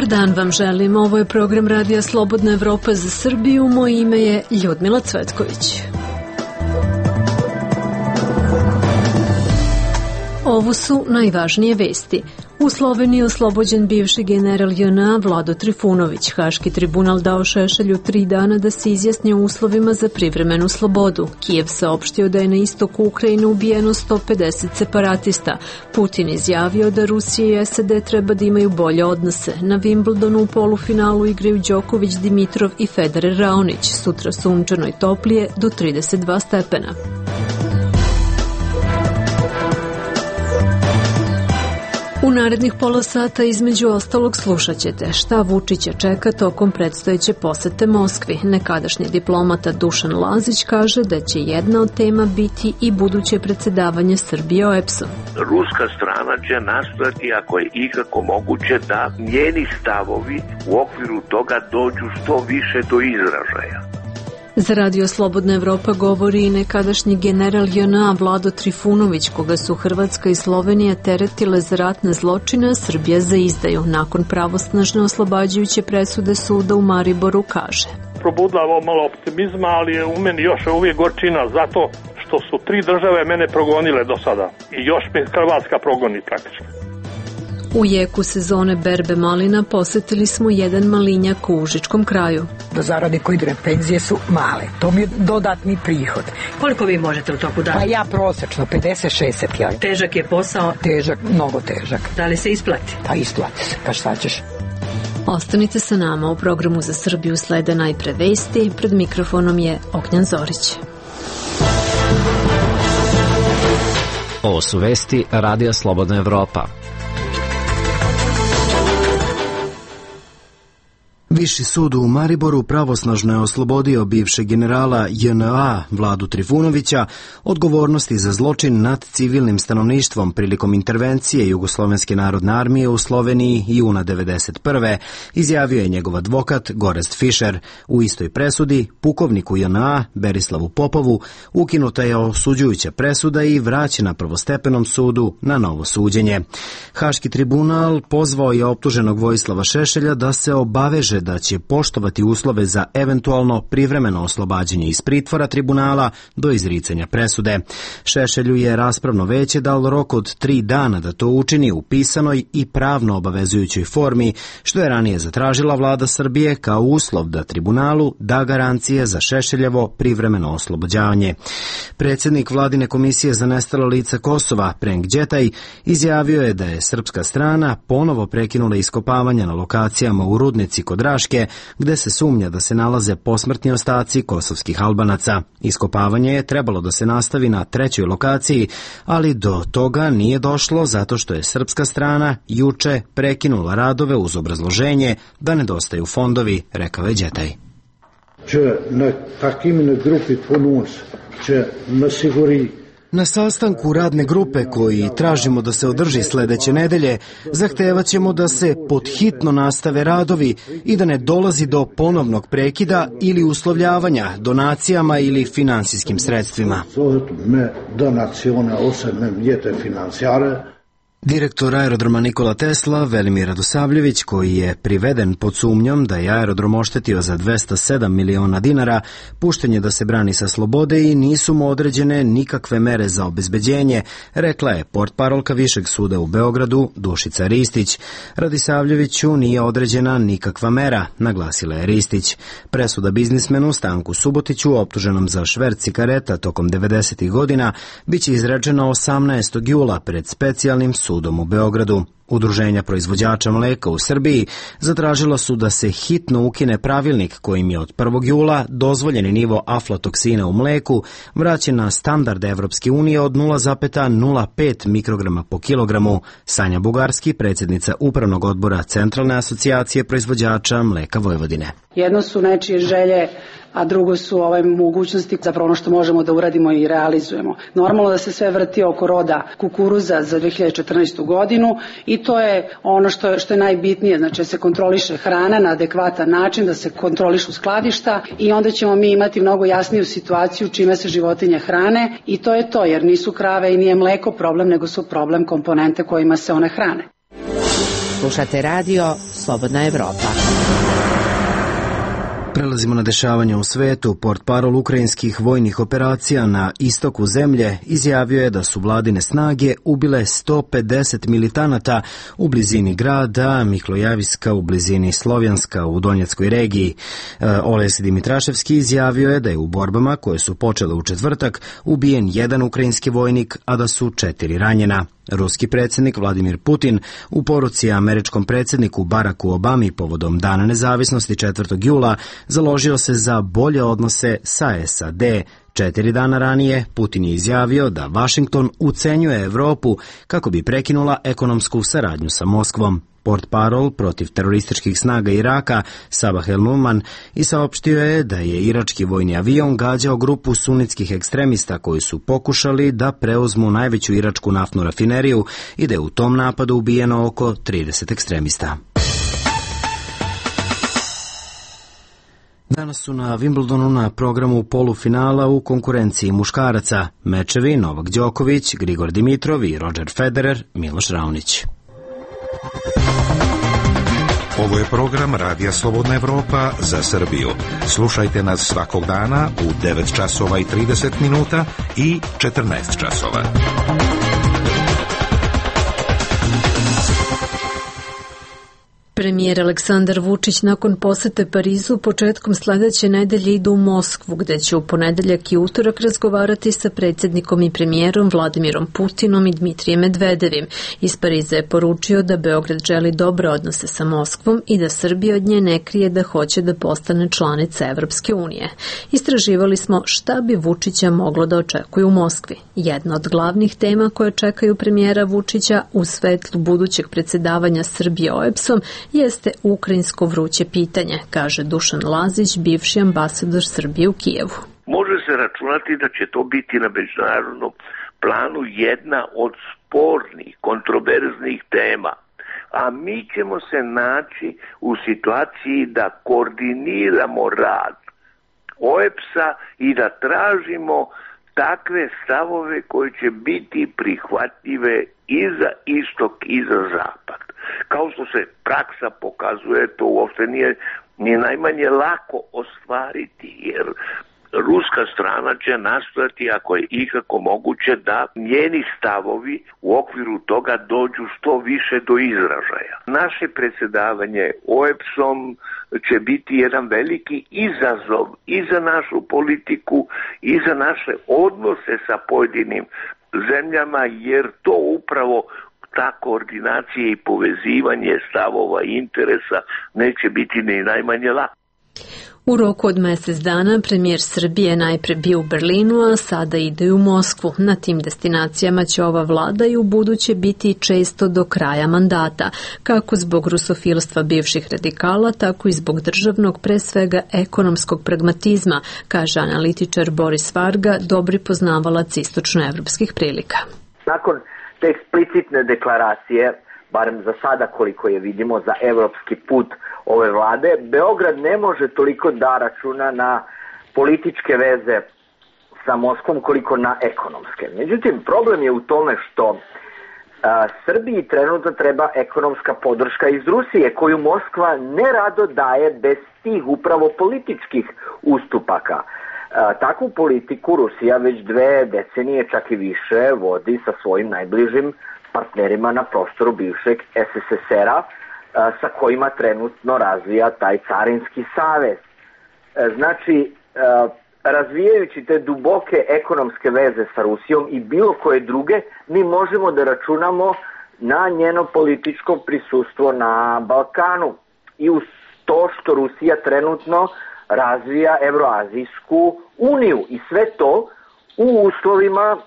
Dobar dan vam želim. Ovo je program Radija Slobodna Evropa za Srbiju. Moje ime je Ljudmila Cvetković. Ovo su najvažnije vesti. U Sloveniji oslobođen bivši general JNA Vlado Trifunović. Haški tribunal dao Šešelju 3 dana da se izjasni o uslovima za privremenu slobodu. Kijev saopštio da je na istoku Ukrajine ubijeno 150 separatista. Putin izjavio da Rusija i SAD treba da imaju bolje odnose. Na Wimbledonu u polufinalu igraju Đoković, Dimitrov i Federer Raonić. Sutra sunčano i toplije do 32 stepena. U narednih pola sata između ostalog slušat ćete šta Vučića čeka tokom predstojeće posete Moskvi. Nekadašnji diplomata Dušan Lazić kaže da će jedna od tema biti i buduće predsedavanje Srbije OEBS-om. Ruska strana će nastojati, ako je ikako moguće, da njeni stavovi u okviru toga dođu što više do izražaja. Za Radio Slobodna Evropa govori i nekadašnji general JNA Vlado Trifunović, koga su Hrvatska i Slovenija teretile za ratne zločine, a Srbija za izdaju. Nakon pravosnažne oslobađajuće presude suda u Mariboru kaže: probudila ovo malo optimizma, ali je u meni još uvijek gorčina zato što su 3 države mene progonile do sada i još me Hrvatska progoni praktično. U jeku sezone berbe malina posetili smo jedan malinjak u Užičkom kraju. Do zarade koji ide penzije su male. To mi je dodatni prihod. Koliko vi možete u toku dana? Pa ja prosečno 50-60 jaj. Težak je posao? Težak, mnogo težak. Da li se isplati? Pa isplati se, pa šta ćeš? Ostanite sa nama, u programu za Srbiju slede najpre vesti. Pred mikrofonom je Ognjan Zorić. Ovo su vesti Radija Slobodna Evropa. Viši sud u Mariboru pravosnažno je oslobodio bivšeg generala JNA Vladu Trifunovića odgovornosti za zločin nad civilnim stanovništvom prilikom intervencije Jugoslovenske narodne armije u Sloveniji juna 1991. izjavio je njegov advokat Gorest Fischer. U istoj presudi pukovniku JNA Berislavu Popovu ukinuta je osuđujuća presuda i vraćena prvostepenom sudu na novo suđenje. Haški tribunal pozvao je optuženog Vojislava Šešelja da se obaveže da će poštovati uslove za eventualno privremeno oslobađanje iz pritvora tribunala do izricanja presude. Šešelju je raspravno veće dalo rok od 3 dana da to učini u pisanoj i pravno obavezujućoj formi, što je ranije zatražila vlada Srbije kao uslov da tribunalu da garancije za Šešeljevo privremeno oslobođavanje. Predsjednik vladine komisije za nestala lica Kosova, Prenk Đetaj, izjavio je da je srpska strana ponovo prekinula iskopavanja na lokacijama u Rudnici kod Raške, gde se sumnja da se nalaze posmrtni ostaci kosovskih Albanaca. Iskopavanje je trebalo da se nastavi na 3. lokaciji, ali do toga nije došlo zato što je srpska strana juče prekinula radove uz obrazloženje da nedostaju fondovi, rekao je Đetaj. Na sastanku radne grupe koji tražimo da se održi sledeće nedelje, zahtevat ćemo da se podhitno nastave radovi i da ne dolazi do ponovnog prekida ili uslovljavanja donacijama ili finansijskim sredstvima. Direktor aerodroma Nikola Tesla, Velimir Radosavljević, koji je priveden pod sumnjom da je aerodrom oštetio za 207 miliona dinara, pušten je da se brani sa slobode i nisu mu određene nikakve mere za obezbeđenje, rekla je portparolka Višeg suda u Beogradu Dušica Ristić. Radosavljeviću nije određena nikakva mera, naglasila je Ristić. Presuda biznismenu Stanku Subotiću, optuženom za šverc cigareta tokom 90. godina, biće izrečena 18. jula pred specijalnim sudom u Beogradu. Udruženja proizvođača mleka u Srbiji zatražila su da se hitno ukine pravilnik kojim je od 1. jula dozvoljeni nivo aflatoksina u mleku vraćen na standard Evropske unije od 0,05 mikrograma po kilogramu. Sanja Bugarski, predsjednica Upravnog odbora Centralne asocijacije proizvođača mleka Vojvodine. Jedno su nečije želje, a drugo su mogućnosti, zapravo ono što možemo da uradimo i realizujemo. Normalno da se sve vrti oko roda kukuruza za 2014. godinu i to je ono što je najbitnije, znači da se kontroliše hrana na adekvatan način, da se kontrolišu skladišta i onda ćemo mi imati mnogo jasniju situaciju čime se životinje hrane i to je to, jer nisu krave i nije mleko problem, nego su problem komponente kojima se one hrane. Slušate radio Slobodna Evropa. Prelazimo na dešavanja u svetu. Portparol ukrajinskih vojnih operacija na istoku zemlje izjavio je da su vladine snage ubile 150 militanata u blizini grada Miklojaviska u blizini Slovjanska u Donjeckoj regiji. Oles Dimitraševski izjavio je da je u borbama koje su počele u četvrtak ubijen jedan ukrajinski vojnik, a da su 4 ranjena. Ruski predsjednik Vladimir Putin u poruci američkom predsjedniku Baracku Obami povodom Dana nezavisnosti 4. jula založio se za bolje odnose sa SAD. 4 dana ranije Putin je izjavio da Vašington ucenjuje Evropu kako bi prekinula ekonomsku saradnju sa Moskvom. Portparol protiv terorističkih snaga Iraka Sabah el-Numan i saopštio je da je irački vojni avion gađao grupu sunitskih ekstremista koji su pokušali da preuzmu najveću iračku naftnu rafineriju i da je u tom napadu ubijeno oko 30 ekstremista. Danas su na Wimbledonu na programu polufinala u konkurenciji muškaraca mečevi Novak Đoković, Grigor Dimitrov i Roger Federer, Miloš Raonić. Ovo je program Radija Slobodna Evropa za Srbiju. Slušajte nas svakog dana u 9 časova i 30 minuta i 14 časova. Premijer Aleksandar Vučić nakon posete Parizu početkom sledeće nedelje ide u Moskvu, gde će u ponedeljak i utorak razgovarati sa predsjednikom i premijerom Vladimirom Putinom i Dmitrijem Medvedevim. Iz Pariza je poručio da Beograd želi dobre odnose sa Moskvom i da Srbija od nje ne krije da hoće da postane članica Evropske unije. Istraživali smo šta bi Vučića moglo da očekuje u Moskvi. Jedna od glavnih tema koje čekaju premijera Vučića u svetlu budućeg predsjedavanja Srbije OEBS-om jeste ukrajinsko vruće pitanje, kaže Dušan Lazić, bivši ambasador Srbije u Kijevu. Može se računati da će to biti na međunarodnom planu jedna od spornih, kontroverznih tema, a mi ćemo se naći u situaciji da koordiniramo rad OEBS-a i da tražimo takve stavove koji će biti prihvatljive i za istok i za zapad. Kao što se praksa pokazuje, to uopšte nije ni najmanje lako ostvariti, jer ruska strana će nastojati, ako je ikako moguće, da njeni stavovi u okviru toga dođu što više do izražaja. Naše predsjedavanje OEBS-om će biti jedan veliki izazov i za našu politiku i za naše odnose sa pojedinim zemljama, jer to upravo ta koordinacija i povezivanje stavova i interesa neće biti ni najmanje lako. U roku od mjesec dana premijer Srbije najpre bio u Berlinu, a sada ide u Moskvu. Na tim destinacijama će ova vlada i u buduće biti često do kraja mandata, kako zbog rusofilstva bivših radikala, tako i zbog državnog, pre svega ekonomskog pragmatizma, kaže analitičar Boris Varga, dobri poznavalac istočnoevropskih prilika. Nakon te eksplicitne deklaracije, barem za sada koliko je vidimo, za evropski put ove vlade, Beograd ne može toliko da računa na političke veze sa Moskvom koliko na ekonomske. Međutim, problem je u tome što Srbiji trenutno treba ekonomska podrška iz Rusije, koju Moskva nerado daje bez tih upravo političkih ustupaka. Takvu politiku Rusija već 2 decenije, čak i više, vodi sa svojim najbližim partnerima na prostoru bivšeg SSSR-a, sa kojima trenutno razvija taj carinski savez. Znači, razvijajući te duboke ekonomske veze sa Rusijom i bilo koje druge, mi možemo da računamo na njeno političko prisustvo na Balkanu. I uz to što Rusija trenutno razvija Evroazijsku uniju i sve to u uslovima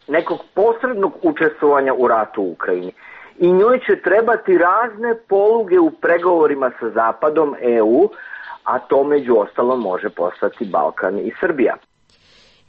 nekog posrednog učestvovanja u ratu u Ukrajini. I njoj će trebati razne poluge u pregovorima sa Zapadom, EU, a to među ostalom može postati Balkan i Srbija.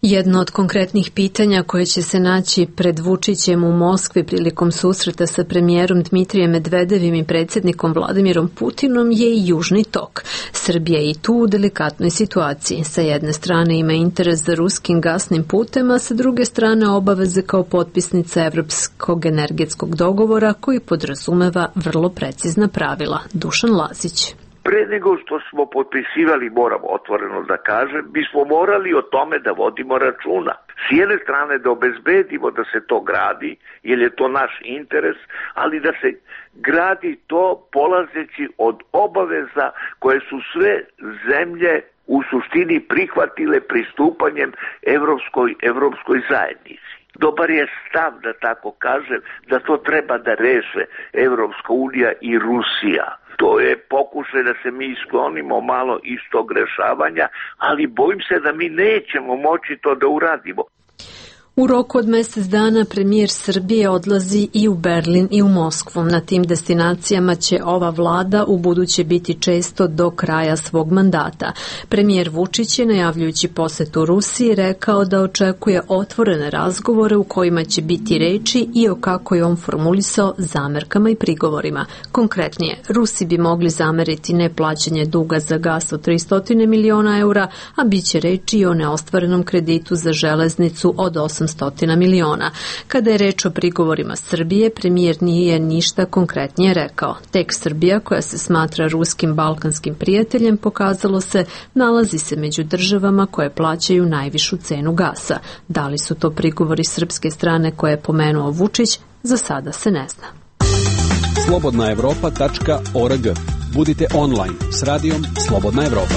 Jedno od konkretnih pitanja koje će se naći pred Vučićem u Moskvi prilikom susreta sa premijerom Dmitrijem Medvedevim i predsjednikom Vladimirom Putinom je i Južni tok. Srbija je i tu u delikatnoj situaciji. Sa jedne strane ima interes za ruskim gasnim putem, a sa druge strane obaveze kao potpisnica Evropskog energetskog dogovora koji podrazumeva vrlo precizna pravila. Dušan Lazić. Pre nego što smo potpisivali, moram otvoreno da kažem, bismo morali o tome da vodimo računa. S jedne strane da obezbedimo da se to gradi, jer je to naš interes, ali da se gradi to polazeći od obaveza koje su sve zemlje u suštini prihvatile pristupanjem Evropskoj zajednici. Dobar je stav, da tako kažem, da to treba da reše Evropska unija i Rusija. To je pokušaj da se mi sklonimo malo iz tog rešavanja, ali bojim se da mi nećemo moći to da uradimo. U roku od mjesec dana premijer Srbije odlazi i u Berlin i u Moskvu. Na tim destinacijama će ova vlada u buduće biti često do kraja svog mandata. Premijer Vučić je, najavljujući posetu Rusiji, rekao da očekuje otvorene razgovore u kojima će biti reči i o kako je on formulisao zamerkama i prigovorima. Konkretnije, Rusi bi mogli zameriti neplaćanje duga za gas od 300 miliona eura, a bit će reči i o neostvarenom kreditu za železnicu od 800 miliona. Kada je reč o prigovorima Srbije, premijer nije ništa konkretnije rekao. Tek Srbija, koja se smatra ruskim balkanskim prijateljem, pokazalo se, nalazi se među državama koje plaćaju najvišu cenu gasa. Da li su to prigovori srpske strane koje je pomenuo Vučić, za sada se ne zna. slobodnaevropa.org. Budite online s radijom Slobodna Evropa.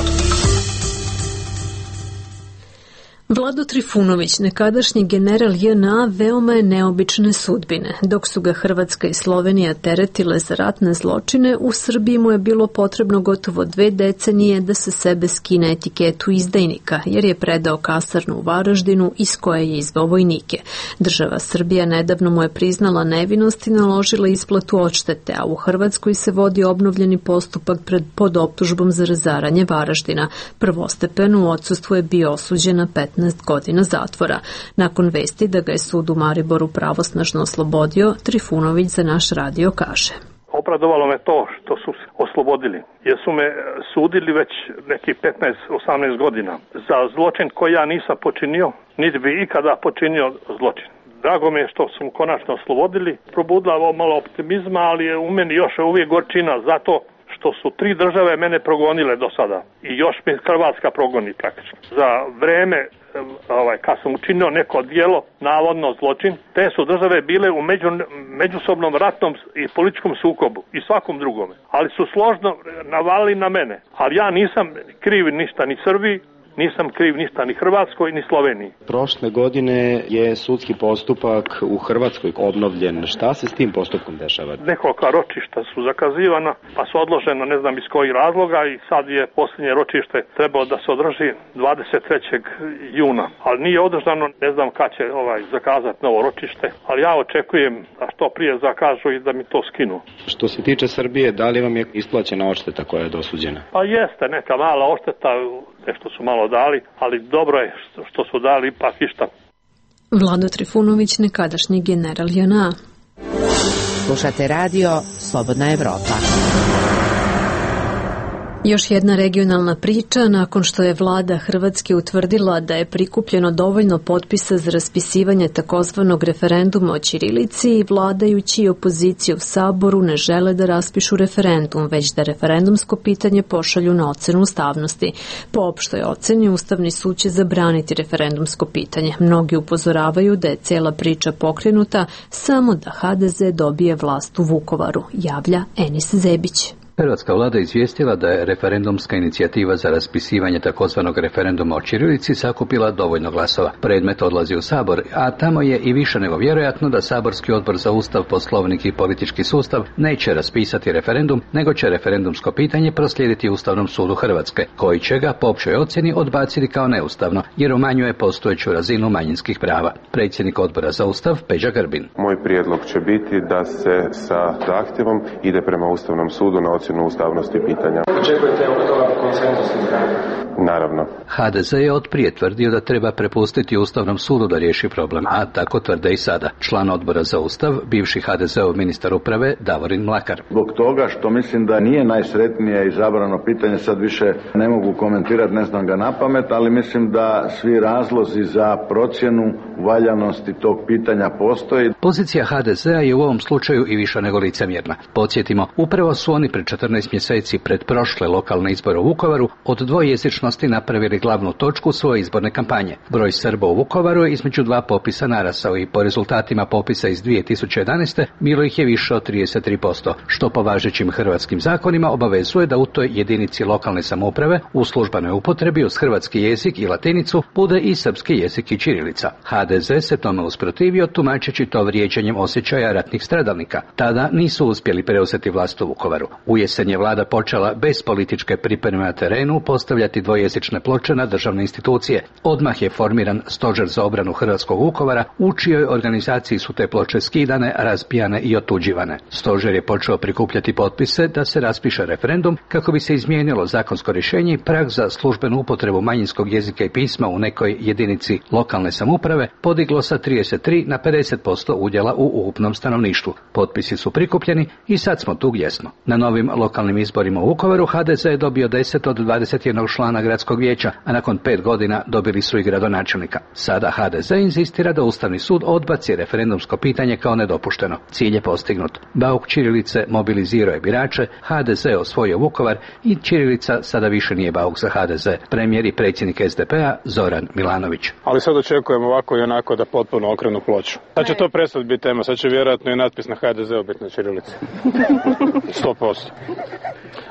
Vlado Trifunović, nekadašnji general JNA, veoma je neobične sudbine. Dok su ga Hrvatska i Slovenija teretile za ratne zločine, u Srbiji mu je bilo potrebno gotovo 2 decenije da se sebe skine etiketu izdajnika, jer je predao kasarnu u Varaždinu iz koje je izveo vojnike. Država Srbija nedavno mu je priznala nevinost i naložila isplatu odštete, a u Hrvatskoj se vodi obnovljeni postupak pod optužbom za razaranje Varaždina. Prvostepeno u odsustvu je bio osuđen na 15 godina zatvora. Nakon vesti da ga je sud u Mariboru pravosnažno oslobodio, Trifunović za naš radio kaže: Obradovalo me to što su oslobodili, jer su me sudili već nekih 15-18 godina za zločin koji ja nisam počinio, niti bi ikada počinio zločin. Drago mi je što su konačno oslobodili, probudila ovo malo optimizma, ali je u meni još uvijek gorčina zato što su 3 države mene progonile do sada i još mi Hrvatska progoni praktično. Za vreme kad sam učinio neko djelo, navodno zločin, te su države bile u međusobnom ratnom i političkom sukobu i svakom drugome. Ali su složno navalili na mene. Ali ja nisam kriv ništa ni Srbiji, nisam kriv ništa ni Hrvatskoj ni Sloveniji. Prošle godine je sudski postupak u Hrvatskoj obnovljen. Šta se s tim postupkom dešava? Nekoliko ročišta su zakazivana, pa su odložena ne znam iz kojih razloga i sad je posljednje ročište trebalo da se održi 23. juna. Ali nije održano, ne znam kad će zakazati novo ročište, ali ja očekujem da što prije zakažu i da mi to skinu. Što se tiče Srbije, da li vam je isplaćena odšteta koja je dosuđena? Pa jeste, neka mala odšteta, nešto su malo dali, ali dobro je što su dali ipak išta. Vlado Trifunović, nekadašnji general JNA. Slušate radio Slobodna Evropa. Još jedna regionalna priča, nakon što je vlada Hrvatske utvrdila da je prikupljeno dovoljno potpisa za raspisivanje takozvanog referenduma o ćirilici, vladajući i opozicija u Saboru ne žele da raspišu referendum, već da referendumsko pitanje pošalju na ocenu ustavnosti. Po opštoj oceni, Ustavni sud će zabraniti referendumsko pitanje. Mnogi upozoravaju da je cijela priča pokrenuta samo da HDZ dobije vlast u Vukovaru, javlja Enis Zebić. Hrvatska vlada izvijestila da je referendumska inicijativa za raspisivanje takozvanog referenduma o ćirilici sakupila dovoljno glasova. Predmet odlazi u Sabor, a tamo je i više nego vjerojatno da Saborski odbor za Ustav, Poslovnik i politički sustav neće raspisati referendum, nego će referendumsko pitanje proslijediti Ustavnom sudu Hrvatske, koji će ga po općoj ocjeni odbaciti kao neustavno, jer umanjuje postojeću razinu manjinskih prava. Predsjednik odbora za Ustav, Peđa Grbin. Moj prijedlog će biti da se sa zahtjevom ide prema Ustavnom sudu na ocjenu ustavnosti pitanja. Očekujete oko toga konsenzus? Naravno. HDZ je otprije tvrdio da treba prepustiti Ustavnom sudu da riješi problem, a tako tvrde i sada. Član odbora za Ustav, bivši HDZ-ov ministar uprave Davorin Mlakar. Zbog toga što mislim da nije najsretnije izabrano pitanje, sad više ne mogu komentirati, ne znam ga napamet, ali mislim da svi razlozi za procjenu valjanosti tog pitanja postoji. Pozicija HDZ-a je u ovom slučaju i više nego licemjerna. Podsjetimo, upravo su oni pred 14 mjeseci pred prošle lokalne izbore u Vukovaru od dvojezičnosti napravili glavnu točku svoje izborne kampanje. Broj Srba u Vukovaru je između dva popisa narasao i po rezultatima popisa iz 2011. bilo ih je više od 33%, što po važećim hrvatskim zakonima obavezuje da u toj jedinici lokalne samouprave u službenoj upotrebi uz hrvatski jezik i latinicu bude i srpski jezik i ćirilica. HDZ se tome usprotivio tumačeći to vrijeđanjem osjećaja ratnih stradalnika. Tada nisu uspjeli preuzeti vlast u Vukovaru. U jesen je vlada počela bez političke pripreme na terenu postavljati dvojezične ploče na državne institucije. Odmah je formiran stožer za obranu hrvatskog Vukovara, u čijoj organizaciji su te ploče skidane, razbijane i otuđivane. Stožer je počeo prikupljati potpise da se raspiše referendum kako bi se izmijenilo zakonsko rješenje i prag za službenu upotrebu manjinskog jezika i pisma u nekoj jedinici lokalne samouprave podiglo sa 33 na 50% udjela u ukupnom stanovništvu. Potpisi su prikupljeni i sad smo tu gdje smo. Na novim lokalnim izborima u Vukovaru HDZ je dobio 10 od 21 člana gradskog vijeća, a nakon 5 godina dobili su i gradonačelnika. Sada HDZ inzistira da Ustavni sud odbaci referendumsko pitanje kao nedopušteno. Cilj je postignut. Bauk ćirilice mobilizirao je birače, HDZ osvojio Vukovar i ćirilica sada više nije bauk za HDZ. Premijer i predsjednik SDP-a Zoran Milanović. Ali sad očekujemo ovako i onako da potpuno okrenu ploču. Sad će to prestati biti tema, sad će vjerojatno i natpis na HDZ-u biti na ćirilici. 100%.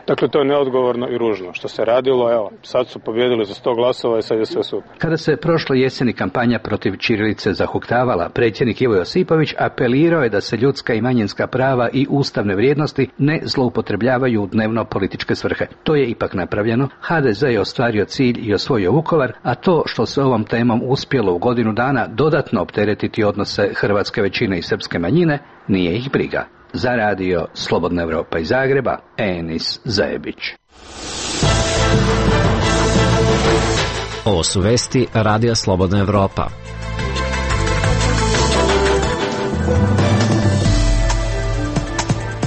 Dakle, to je neodgovorno i ružno. Što se radilo, evo, sad su pobjedili za 100 glasova i sad je sve super. Kada se prošle jeseni kampanja protiv ćirilice zahuktavala, predsjednik Ivo Josipović apelirao je da se ljudska i manjinska prava i ustavne vrijednosti ne zloupotrebljavaju u dnevno političke svrhe. To je ipak napravljeno. HDZ je ostvario cilj i osvojio Vukovar, a to što se ovom temom uspjelo u godinu dana dodatno opteretiti odnose hrvatske većine i srpske manjine, nije ih briga. Za radio Slobodna Evropa iz Zagreba, Enis Zajebić. Ovo su vesti Radija Slobodna Evropa.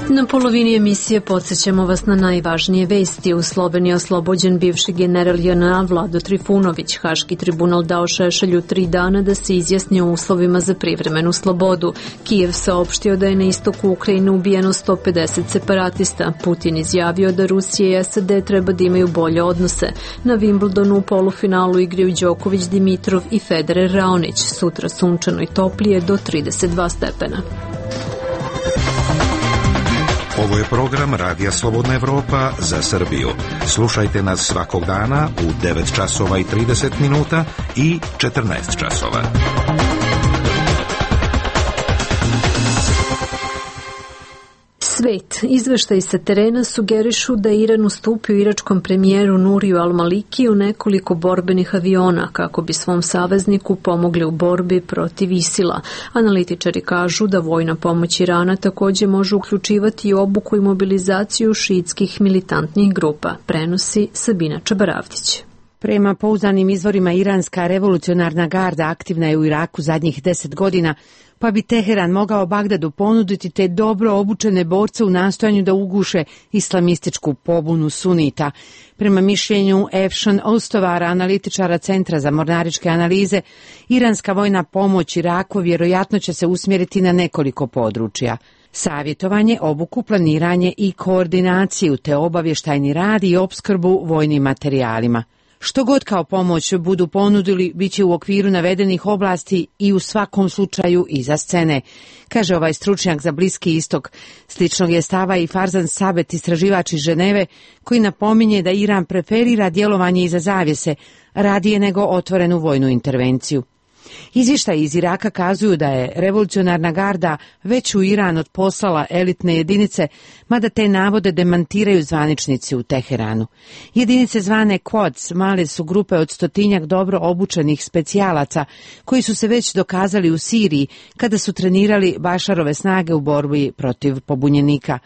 Na polovini emisije podsjećamo vas na najvažnije vesti. U Sloveniji oslobođen bivši general JNA Vlado Trifunović. Haški tribunal dao Šešelju 3 dana da se izjasni o uslovima za privremenu slobodu. Kijev saopštio da je na istoku Ukrajine ubijeno 150 separatista. Putin izjavio da Rusija i SAD treba da imaju bolje odnose. Na Wimbledonu u polufinalu igraju Đoković, Dimitrov i Federer Raonić. Sutra sunčano i toplije do 32 stepena. Ovo je program Radija Slobodna Evropa za Srbiju. Slušajte nas svakog dana u 9 časova i 30 minuta i 14 časova. Svet. Izveštaji sa terena sugerišu da je Iran ustupio iračkom premijeru Nuriju al-Malikiju nekoliko borbenih aviona kako bi svom savezniku pomogli u borbi protiv ISIL-a. Analitičari kažu da vojna pomoć Irana također može uključivati i obuku i mobilizaciju šiitskih militantnih grupa, prenosi Sabina Čabaravdić. Prema pouzdanim izvorima, iranska revolucionarna garda aktivna je u Iraku zadnjih 10 godina, pa bi Teheran mogao Bagdadu ponuditi te dobro obučene borce u nastojanju da uguše islamističku pobunu sunita. Prema mišljenju Efšan Ostovara, analitičara Centra za mornaričke analize, iranska vojna pomoć Iraku vjerojatno će se usmjeriti na nekoliko područja. Savjetovanje, obuku, planiranje i koordinaciju, te obavještajni rad i opskrbu vojnim materijalima. Što god kao pomoć budu ponudili, bit će u okviru navedenih oblasti i u svakom slučaju iza scene, kaže ovaj stručnjak za Bliski istok. Sličnog je stava i Farzan Sabet, istraživač iz Ženeve, koji napominje da Iran preferira djelovanje iza zavjese, radije nego otvorenu vojnu intervenciju. Izvještaji iz Iraka kazuju da je revolucionarna garda već u Iran odposlala elitne jedinice, mada te navode demantiraju zvaničnici u Teheranu. Jedinice zvane Quds male su grupe od 100-tinjak dobro obučenih specijalaca koji su se već dokazali u Siriji kada su trenirali Bašarove snage u borbi protiv pobunjenika.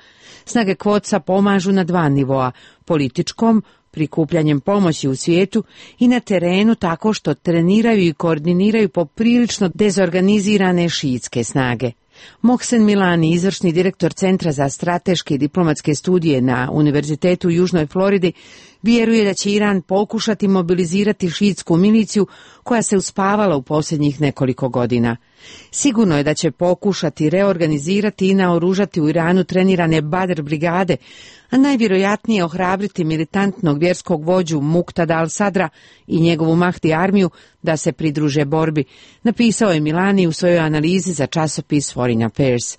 Snage Quodsa pomažu na 2 nivoa, političkom, prikupljanjem pomoći u svijetu, i na terenu tako što treniraju i koordiniraju poprilično dezorganizirane šiitske snage. Mohsen Milani, izvršni direktor Centra za strateške i diplomatske studije na Univerzitetu u Južnoj Floridi, vjeruje da će Iran pokušati mobilizirati šiitsku miliciju koja se uspavala u posljednjih nekoliko godina. Sigurno je da će pokušati reorganizirati i naoružati u Iranu trenirane Badr brigade, a najvjerojatnije ohrabriti militantnog vjerskog vođu Muqtada al-Sadra i njegovu Mahdi armiju da se pridruže borbi, napisao je Milani u svojoj analizi za časopis Foreign Affairs.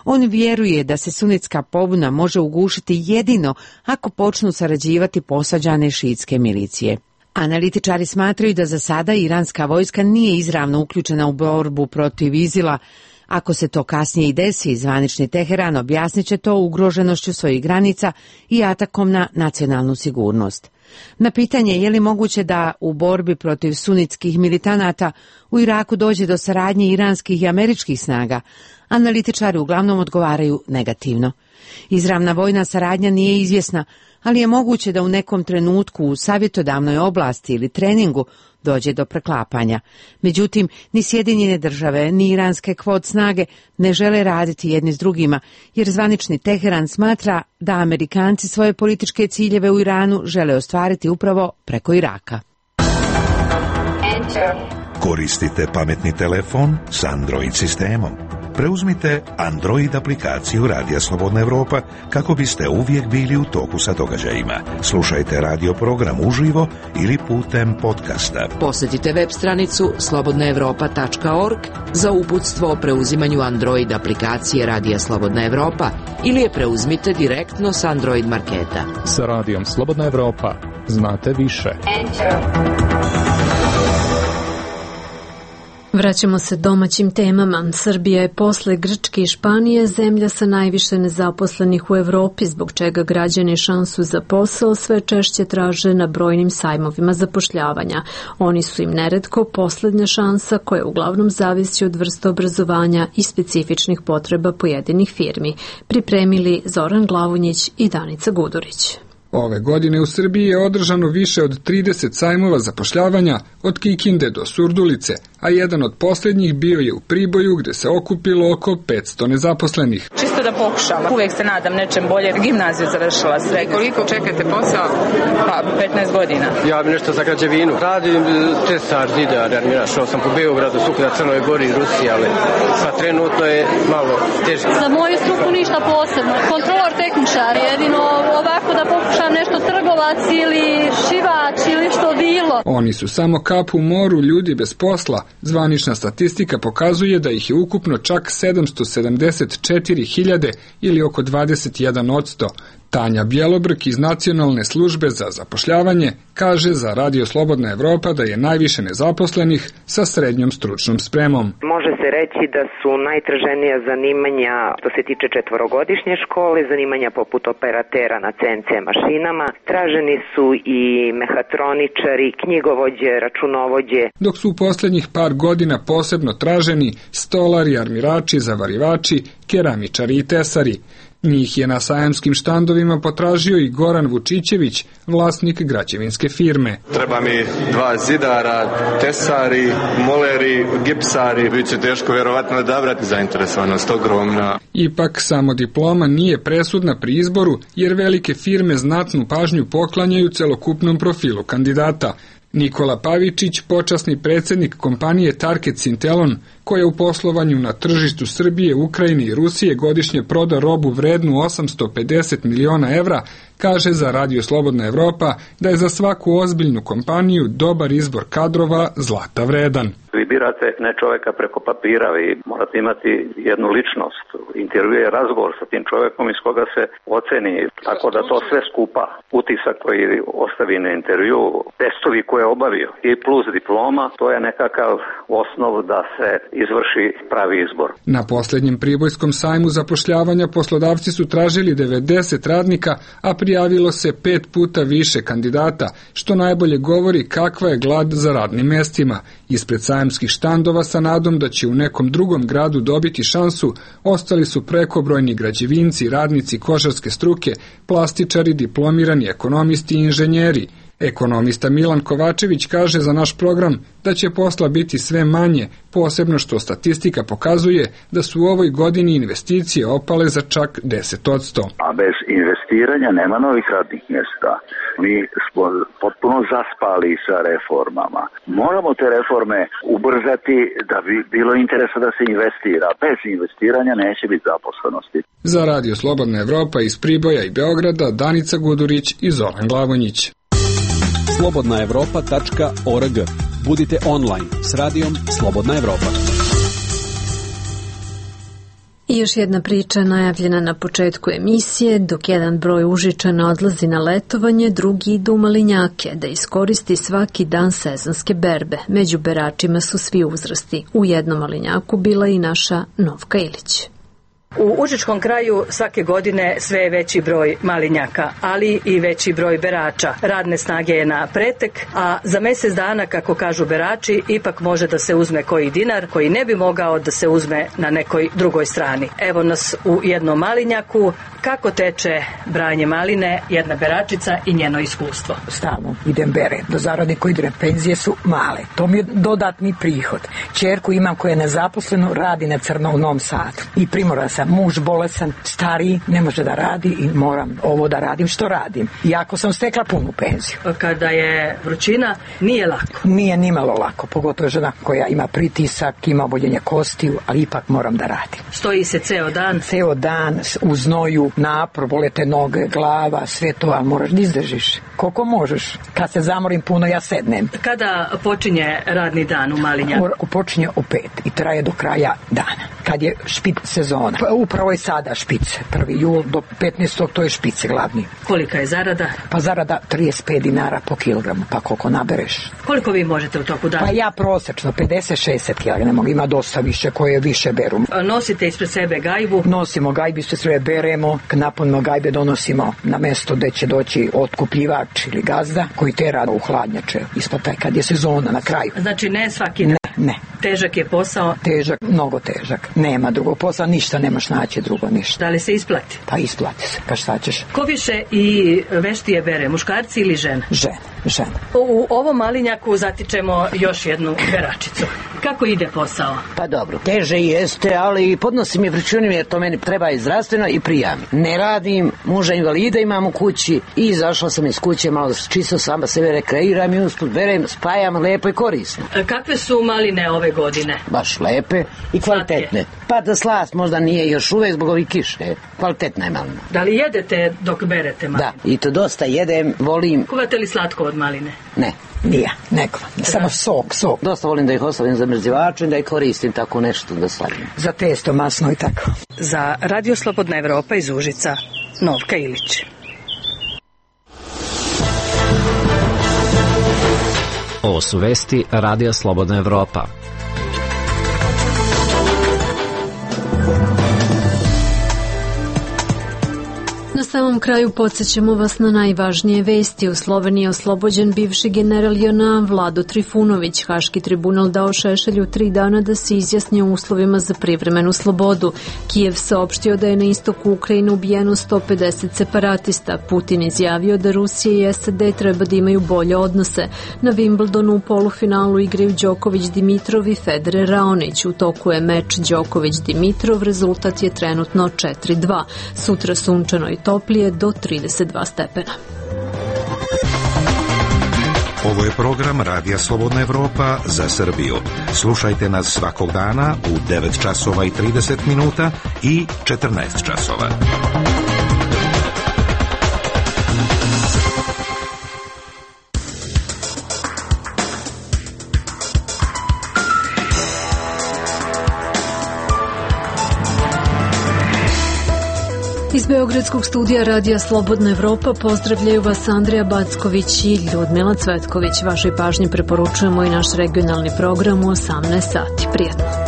On vjeruje da se sunitska pobuna može ugušiti jedino ako počnu sarađivati posađane šiitske milicije. Analitičari smatraju da za sada iranska vojska nije izravno uključena u borbu protiv ISIL-a. Ako se to kasnije i desi, zvanični Teheran objasnit će to ugroženošću svojih granica i atakom na nacionalnu sigurnost. Na pitanje je li moguće da u borbi protiv sunitskih militanata u Iraku dođe do saradnje iranskih i američkih snaga, analitičari uglavnom odgovaraju negativno. Izravna vojna saradnja nije izvjesna, ali je moguće da u nekom trenutku u savjetodavnoj oblasti ili treningu dođe do preklapanja. Međutim, ni Sjedinjene države, ni iranske Quds snage ne žele raditi jedni s drugima, jer zvanični Teheran smatra da Amerikanci svoje političke ciljeve u Iranu žele ostvariti upravo preko Iraka. Koristite pametni telefon s Android sistemom. Preuzmite Android aplikaciju Radija Slobodna Evropa kako biste uvijek bili u toku sa događajima. Slušajte radio program uživo ili putem podcasta. Posjetite web stranicu slobodnaevropa.org za uputstvo o preuzimanju Android aplikacije Radija Slobodna Evropa ili je preuzmite direktno s Android marketa. Sa Radijom Slobodna Evropa znate više. Vraćamo se domaćim temama. Srbija je posle Grčke i Španije zemlja sa najviše nezaposlenih u Evropi, zbog čega građani šansu za posao sve češće traže na brojnim sajmovima zapošljavanja. Oni su im neretko poslednja šansa koja uglavnom zavisi od vrste obrazovanja i specifičnih potreba pojedinih firmi. Pripremili Zoran Glavonjić i Danica Gudurić. Ove godine u Srbiji je održano više od 30 sajmova zapošljavanja od Kikinde do Surdulice, a jedan od posljednjih bio je u Priboju gdje se okupilo oko 500 nezaposlenih. Čisto da pokušam, uvijek se nadam nečem bolje. Gimnaziju završila sve. Koliko čekate posao? Pa 15 godina. Ja bi nešto za građevinu. Radim tesar, zidar, armiraš, sam po Beogradu, Sukuda, Crnoj Gori, Rusiji, ali sad trenutno je malo teže. Za moju struku ništa posebno. Kontrolor, tehničar, jedino ovako da pokušam nešto trgovac ili šivač ili što bilo. Oni su samo kap u moru ljudi bez posla. Zvanična statistika pokazuje da ih je ukupno čak 774.000 ili oko 21%. Tanja Bjelobrk iz Nacionalne službe za zapošljavanje kaže za Radio Slobodna Evropa da je najviše nezaposlenih sa srednjom stručnom spremom. Može se reći da su najtraženija zanimanja što se tiče četvorogodišnje škole, zanimanja poput operatera na CNC mašinama. Traženi su i mehatroničari, knjigovođe, računovođe. Dok su u posljednjih par godina posebno traženi stolari, armirači, zavarivači, keramičari i tesari. Njih je na sajamskim štandovima potražio i Goran Vučićević, vlasnik građevinske firme. Treba mi 2 zidara, tesari, moleri, gipsari. Biće teško vjerovatno odabrati, zainteresovanost ogromna. Ipak samo diploma nije presudna pri izboru, jer velike firme znatnu pažnju poklanjaju celokupnom profilu kandidata. Nikola Pavičić, počasni predsjednik kompanije Target Sintelon, koja u poslovanju na tržištu Srbije, Ukrajine i Rusije godišnje proda robu vrednu 850 miliona evra, kaže za Radio Slobodna Evropa da je za svaku ozbiljnu kompaniju dobar izbor kadrova zlata vredan. Vi birate ne čovjeka preko papira, vi morate imati jednu ličnost. Intervju je razgovor sa tim čovjekom iz koga se oceni, tako da to sve skupa, utisak koji ostavi na intervju, testovi koje obavio. I plus diploma, to je nekakav osnov da se izvrši pravi izbor. Na posljednjem pribojskom sajmu zapošljavanja poslodavci su tražili 90 radnika, a prijavilo se 5 puta više kandidata, što najbolje govori kakva je glad za radnim mestima. Ispred sajamskih štandova sa nadom da će u nekom drugom gradu dobiti šansu, ostali su prekobrojni građevinci, radnici kožarske struke, plastičari, diplomirani ekonomisti i inženjeri. Ekonomista Milan Kovačević kaže za naš program da će posla biti sve manje, posebno što statistika pokazuje da su u ovoj godini investicije opale za čak 10%. A bez investiranja nema novih radnih mjesta. Mi smo potpuno zaspali sa reformama. Moramo te reforme ubrzati da bi bilo interesa da se investira. Bez investiranja neće biti zaposlenosti. Za Radio Slobodna Evropa iz Priboja i Beograda, Danica Gudurić i Zoran Glavonjić. slobodnaevropa.org. Budite online s radijom Slobodna Evropa. I još jedna priča najavljena na početku emisije. Dok jedan broj Užičana odlazi na letovanje, drugi idu u Malinjake da iskoristi svaki dan sezonske berbe. Među beračima su svi uzrasti. U jednom Malinjaku bila i naša Novka Ilić. U Užičkom kraju svake godine sve je veći broj malinjaka, ali i veći broj berača. Radne snage je na pretek, a za mjesec dana, kako kažu berači, ipak može da se uzme koji dinar koji ne bi mogao da se uzme na nekoj drugoj strani. Evo nas u jednom malinjaku. Kako teče branje maline, jedna beračica i njeno iskustvo. Stalno idem bere. Do zarade koji ide penzije su male. To mi je dodatni prihod. Ćerku imam koja je nezaposleno, radi na crno u Novom Sadu. I primoran sam, muž bolesan, stariji, ne može da radi i moram ovo da radim što radim. Iako sam stekla punu penziju. Kada je vrućina, nije lako. Nije nimalo lako, pogotovo žena koja ima pritisak, ima oboljenje kostiju, ali ipak moram da radim. Stoji se ceo dan? Ceo dan, u znoju, napor, bole te noge, glava, sve to, ali moraš da izdržiš. Koliko možeš. Kad se zamorim puno, ja sednem. Kada počinje radni dan u Malinjaku? Počinje u 5 i traje do kraja dana. Kad je špic sezona. Pa upravo je sada špic. 1. jul do 15. to je špic glavni. Kolika je zarada? Pa zarada 35 dinara po kilogramu, pa koliko nabereš. Koliko vi možete u toku dana? Pa ja prosečno 50-60 kilograma, ima dosta više koje više beru. Nosite ispred sebe gajbu? Nosimo gajbu, ispred sebe beremo, napunimo gajbe, donosimo na mesto gde će doći otkupljivač ili gazda koji tera u hladnjače ispod taj kad je sezona na kraju. Znači ne svaki dan? Ne. Težak je posao? Težak, mnogo težak. Nema drugog posla, ništa nemaš naći drugo, ništa. Da li se isplati? Pa isplati se, pa šta ćeš? Ko više i veštije bere, muškarci ili žene? Žene. U ovom Malinjaku zatičemo još jednu beračicu. Kako ide posao? Pa dobro, teže jeste, ali podnosim je vrućinu jer to meni treba i zdravstveno i prijam. Ne radim, muža invalida imam u kući i izašla sam iz kuće, malo čisto sama sebe rekreiram i usput berem, spajam lepo i korisno. Kakve su maline ove godine? Baš lepe i kvalitetne. Pa da slast možda nije još uvek zbog ovih kiše, kvalitetna je malina. Da li jedete dok berete maline? Da, i to dosta jedem, volim. Kuvate li slatko od maline? Ne. Nije, neko. Samo sok. Dosta volim da ih ostavim za mrzivačem, da ih koristim tako nešto da sladim. Za testo masno i tako. Za Radio Slobodna Evropa iz Užica, Novka Ilić. Ovo su vesti Radija Slobodna Evropa. Na samom kraju podsjećamo vas na najvažnije vesti. U Sloveniji je oslobođen bivši general JNA Vlado Trifunović. Haški tribunal dao Šešelju 3 dana da se izjasni o uslovima za privremenu slobodu. Kijev saopštio da je na istoku Ukrajine ubijeno 150 separatista. Putin izjavio da Rusija i SAD treba da imaju bolje odnose. Na Wimbledonu u polufinalu igraju Đoković-Dimitrov i Federer-Raonić. U toku je meč Đoković-Dimitrov, rezultat je trenutno 4-2. Sutra sunčano i toplije do 32 stepena. Ovo je program Radija Slobodna Evropa za Srbiju. Slušajte nas svakog dana u 9 časova i 30 minuta i 14 časova. Iz Beograda Beogradskog studija Radija Slobodna Evropa pozdravljaju vas Andrija Backović i Ljudmila Cvetković. Vašoj pažnji preporučujemo i naš regionalni program u 18 sati. Prijatno.